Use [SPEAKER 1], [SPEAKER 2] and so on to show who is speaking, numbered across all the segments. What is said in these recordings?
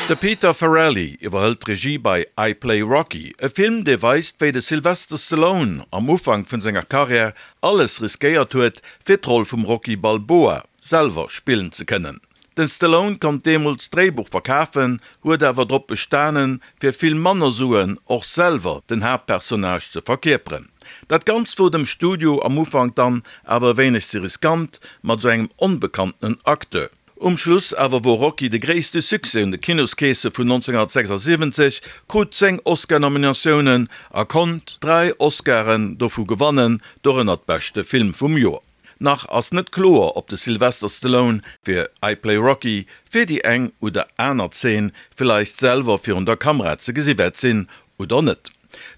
[SPEAKER 1] De Peter Farrelly iwwerhëlt d'Regie bei I Play Rocky, e Film, dee weist, wéi de Sylvester Stallone am Ufank vun senger Karriär alles riskéiert huet, fir d'Roll vum Rocky Balboa selwer spillen ze kënnen. Den Stallone konnt deemools d'Dréibuch verkafen, huet awer drop bestanen, fir vill manner Suen och selwer den Haaptpersonnage ze verkierperen. Dat Ganzt wor dem Studio am Ufank dann awer e wéineg ze riskant mat sou engem onbekanntenen Acteur. Um Schluss awer wor Rocky de gréisste Succès un de Kinoskeesse vun 1976, krut 10 Oscar-Nominatiounen a konnt 3 Oscaren dovu gewannen, dorënner d'beschte Film vum Joer. Nach ass net kloer, ob de Sylvester Stallone fir I Play Rocky fir déi eng oder aner Zeen villeicht selwer virun der Kamera ze gesi wäert sinn oder net.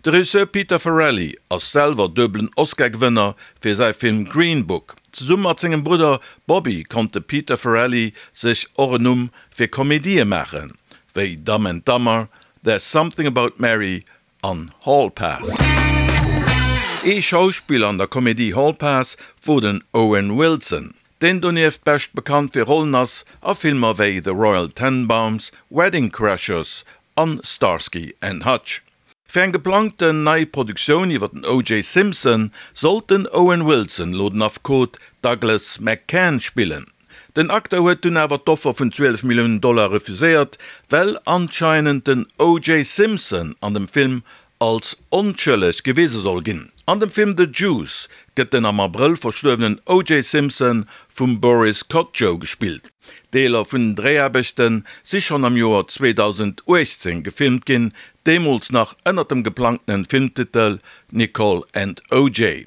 [SPEAKER 1] De Regisseur Peter Farrelly ass selwer duebelen Oscar-Gewënner fir säi Film Green Book. Zesumme mat sengem Brudder Bobby konnt de Peter Farrelly sech och en Numm fir Komedië maachen, wéi Dumb and Dumber, There's Something About Mary an Hall Pass. Ee Schauspiller an der Komedie Hall Pass wor den Owen Wilson, deen donieft bescht bekannt fir Rollen ass a Filmer wéi The Royal Tenenbaums, Wedding Crashers an Starsky and Hutch. Fir eng geplangten nei Produktioun iwwer den OJ Simpson sollt den Owen Wilson lo den Affekot Douglas McCann spillen. Den Acteur huet dunn awer d'Offer vun 12 Milliounen Dollar refuséiert, well anscheinend den OJ Simpson an dem Film als onschëlleg gewise soll ginn. An dem Film The Juice gëtt den am Abrëll verstuerwenen OJ Simpson vum Boris Kodjoe gespillt. Deeler vun den Dréiaarbechte si schonn am Joer 2018 gefilmt ginn, deemools nach ënnert dem geplangtenen Filmtitel Nicole and OJ.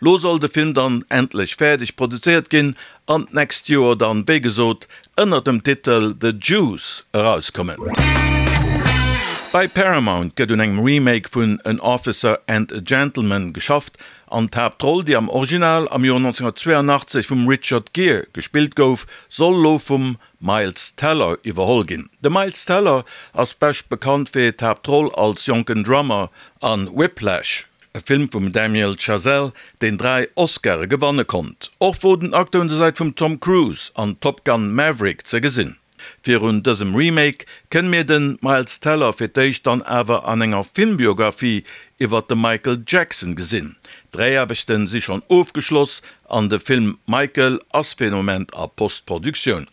[SPEAKER 1] Lo soll de Film dann endlech fäerdeg produzéiert ginn an d'nächst Joer dann, wéi gesot, ënnert dem Titel The Juice erauskommen. Bei Paramount gëtt un engem Remake vun An Officer and a Gentleman geschafft an d'Haaptroll, déi am Original am Joer 1982 vum Richard Gere gespillt gouf, soll lo vum Miles Teller iwwerholl ginn. De Miles Teller ass bescht bekannt fir d'Haaptroll als jonken Drummer an Whiplash. E Film vum Damien Chazelle, deen 3 Oscare gewanne konnt. Och wor den Acteur un der Säit vum Tom Cruise an Top Gun Maverick ze gesinn. Virun dësem Remake kënne mir den Miles Teller fir d'éischt dann awer an enger Filmbiographie iwwert de Michael Jackson gesinn. D'Dréiaarbechten si schonn ofgeschloss an de Film Michael ass fir den Moment a Postproduktioun.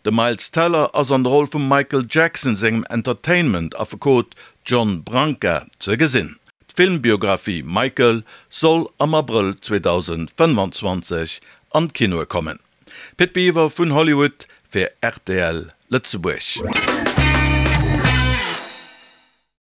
[SPEAKER 1] De Miles Teller ass an der Roll vum Michael Jackson sengem Entertainment-Affekot John Branca ze gesinn. D'Filmbiographie Michael soll am Abrëll 2025 an d'Kinoe kommen. Pit Biwer vun Hollywood fir rtl Lëtzebuerg.